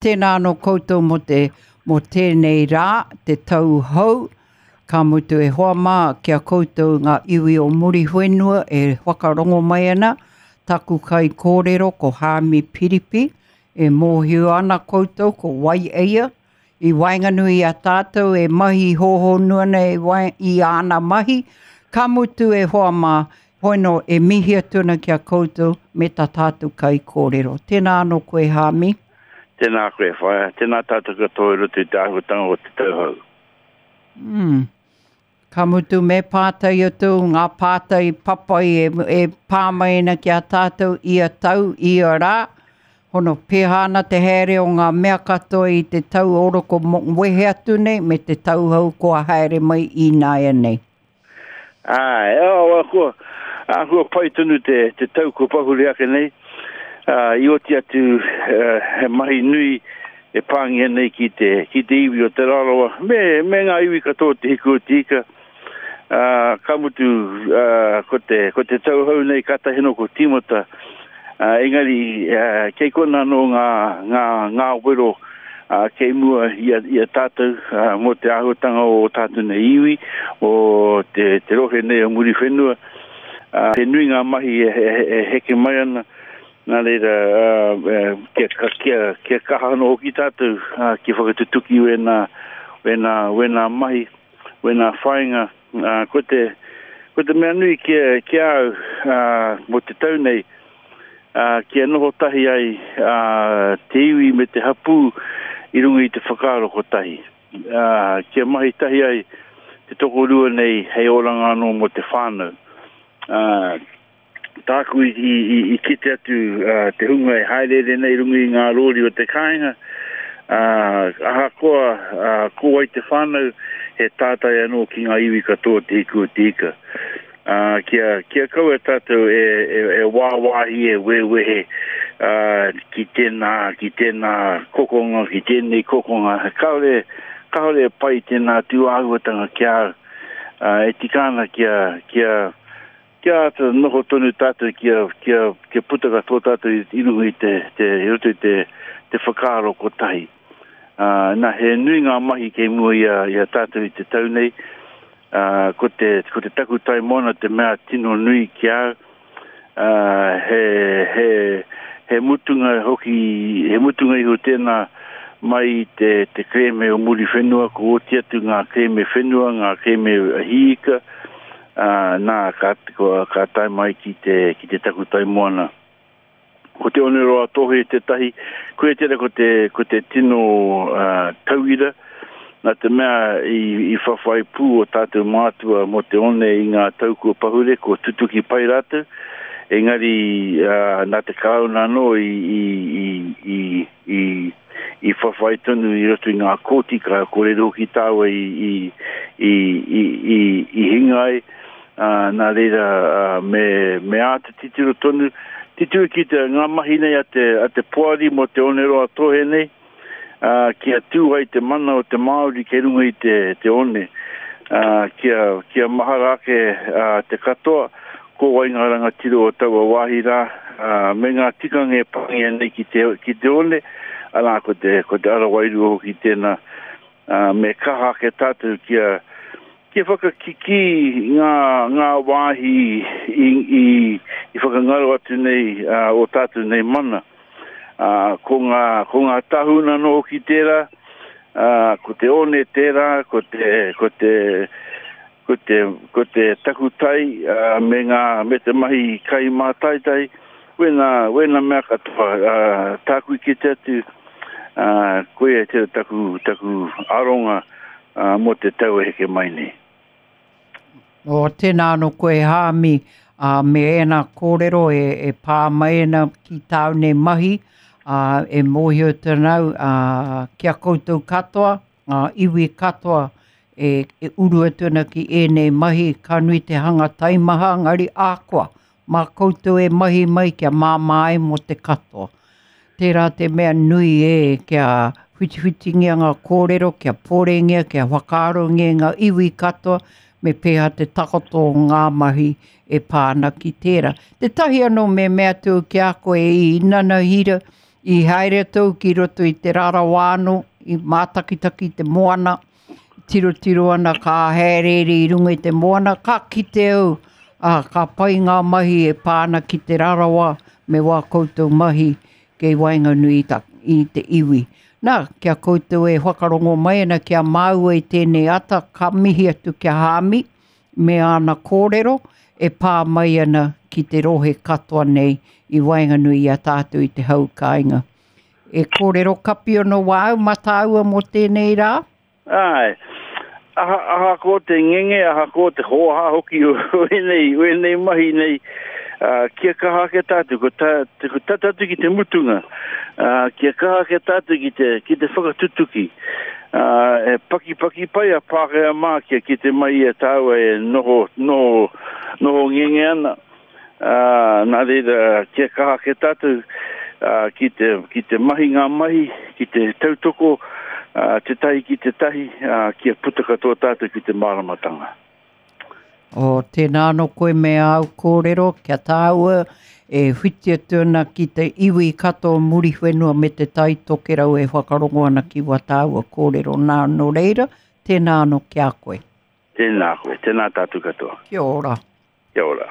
Tēnā anō koutou mō te, mō tēnei rā, te tau hou, ka mutu e hoa mā ki a koutou ngā iwi o Muriwhenua e whakarongo mai ana, taku kaikōrero ko Haami Piripi, e mōhio ana koutou ko wai eia, i waenganui i a tātou e mahi hōhonu ana i, wae, i āna mahi, ka mutu e hoa mā, hoino e mihi atu ana ki a koutou me tā tātou kaikōrero. Tēnā anō koe Haami. Tēnā koe whaea, tēnā tātou katoa i roto i te āhuatanga o te tau hou. Mm. Ka mutu me pātai atu ngā pātai papai e, e pā mai ana ki a tātou ia tau, ia rā. Hono pēhā ana te haere o ngā mea katoa i te tau oroko wehe atu nei me te tau hou kua haere mai ināianei. Āe, oh, āhua, āhua pai tonu te, te tau kua pahure ake nei. Uh, I oti atu uh, he mahi nui e pāngia nei ki te, ki te iwi o Te Rarawa, me, me ngā iwi katoa o Te Hiku o Te Ika. Uh, ka mutu, uh, ko te, ko te tau hou nei kātahi anō ko tīmata. Uh, engari, uh, kei kona anō ngā, ngā, ngā wero ā, kei mua i a, i a tātou ā, mō te āhuatanga o ō tātou nei iwi, o te, te rohe nei o Muriwhenua. Ā, he nui ngā mahi e, e, e heke mai ana, nā reira, ā, kia, kia, kia kaha anō hoki tātou ā, kia whakatutuki wēnā, wēnā, wēnā mahi, wēnā whāinga. Ā, ko te, ko te mea nui ki a, ki a au, ā, mō te tau nei, ā, kia noho tahi ai ā, te iwi me te hapū i runga i te whakaaro kotahi, ā, kia mahi tahi ai te tokorua nei hei oranga anō mō te whānau. Ā, tāku i, i, i, i kite atu ā, te hunga e haereere nei i runga i ngā rōri o te kāinga, ā, ahakoa ā, ko wai te whānau, he tātai anō ki ngā iwi katoa o Te Hiku o Te Ika. Ā, kia, kia kaua tātou e, e, e wāwāhi, e wewehe, ā, ki tēnā, ki tēnā kokonga, ki tēnei kokonga. Kāore, kāore e pai tēnā tūāhuatanga ki a au. Ā, e tika ana kia, kia, kia āta noho tonu tātou kia, kia, kia puta katoa tātou i, i runga i te, te, i roto i te, te whakaaro kotahi. Ā, nā, he nui ngā mahi kei mua i a, i a tātou i te tau nei. Ā, ko te, ko te takutai moana te mea tino nui ki a au. Ā, he, he, he mutunga hoki, he mutunga iho tēnā mai i te, te kerēme o Muriwhenua, ko oti atu ngā kerēme whenua, ngā kerēme hiika, ā, nā, ka, ka tae mai ki te, ki te takutai moana. Ko Te Oneroa Tohe tētahi, koia tērā ko te, ko te tino uh, tauira, nā te mea i, i whawhai pū o tātou mātua mō te one i ngā tau kua pahure, kua tutuki pai rātou, engari uh, nā te Karauna anō i, i, i, i, i, i whawhai tonu i roto i ngā kōti, ka kōrero hoki tāua i, i, i, i, i, i hinga ai, ā, nā reira, ā, me, me āta titiro tonu, titiro ki te, ngā mahi nei a te, a te poari mō te Oneroa Tohe nei, ā, kia tū ai te mana o te Māori kei runga i te, te one, ā, kia, kia mahara ake, ā, te katoa, ko wai ngā rangatira o taua wāhi rā, ā, me ngā tikanga e pāngia nei ki te, ki te one, arā, ko te, ko te ara wairua hoki tēnā, ā, me kaha ake tātou kia, kia whakakikī ngā, ngā wāhi i, i, i whakangaro atu nei, ā, o tātou nei mana. Ā, ko ngā, ko ngā tahuna anō hoki tērā, ā, ko te one tērā, ko te, ko te, Ko te, ko te takutai me ngā, me te mahi kai mātaitai, wēnā, wēnā mea katoa, tāku i kite atu, koia tērā taku, taku aronga mō te tau e heke mai nei. Oh, tēnā anō koe Haami, ā, me ēnā kōrero e, e pā mai ana ki tāu nei mahi, ā, e mōhio atu ana au, ā, ki a koutou katoa, ngā iwi katoa e, e uru atu ana ki ēnei mahi, ka nui te hanga taimaha, engari ākoa, mā koutou e mahi mai kia māmā ai mō te katoa. Tērā te mea nui e kia whitiwhitingia ngā kōrero, kia pōrengia, kia whakaarongia ngā iwi katoa, me pēhea te takoto o ngā mahi e pā ana ki tērā. Tētahi anō me mea atu ki a koe i Nanahira, I haere atu au ki roto i Te Rarawa anō, i mātakitaki i te moana, tirotiro ana ka hāereere i runga i te moana, ka kite au, ā, ka pai ngā mahi e pā ana ki Te Rarawa me wā koutou mahi kei waenganui i te iwi. Nā, ki a koutou e whakarongo mai ana ki a māua i tēnei ata, ka mihi atu ki a Hāmi me āna kōrero e pā mai ana ki te rohe katoa nei i waenganui i a tātou i te hau kāinga. E kōrero kapi ana wāu mā tāua mō tēnei rā? Āe. Aha, ahakoa te ngenge, ahakoa te hōhā hoki o ēnei, o ēnei mahi nei, uh, kia kaha ake tātou, ko, tā, ko tata atu ki te mutunga, uh, kia kaha ake tātou ki te, ki te whakatutuki. Uh, e pakipaki pai a Pākehā mā kia kite mai i a tāua e noho, noho, noho ngenge ana. Ā, nā reira, kia kaha ake tātou, ā, ki te, ki te mahi ngā mahi, ki te tautoko, ā, tētahi ki tētahi, ā, kia puta katoa tātou ki te māramatanga. Oh, tēnā anō koe me āu kōrero, kia tāua e whiti atu ana ki te iwi katoa o Muriwhenua me Te Tai Tokerau e whakarongo ana ki wā tāua kōrero nā, nō reira, tēnā anō ki a koe. Tēnā koe, tēnā tātou katoa. Kia ora. Kia ora.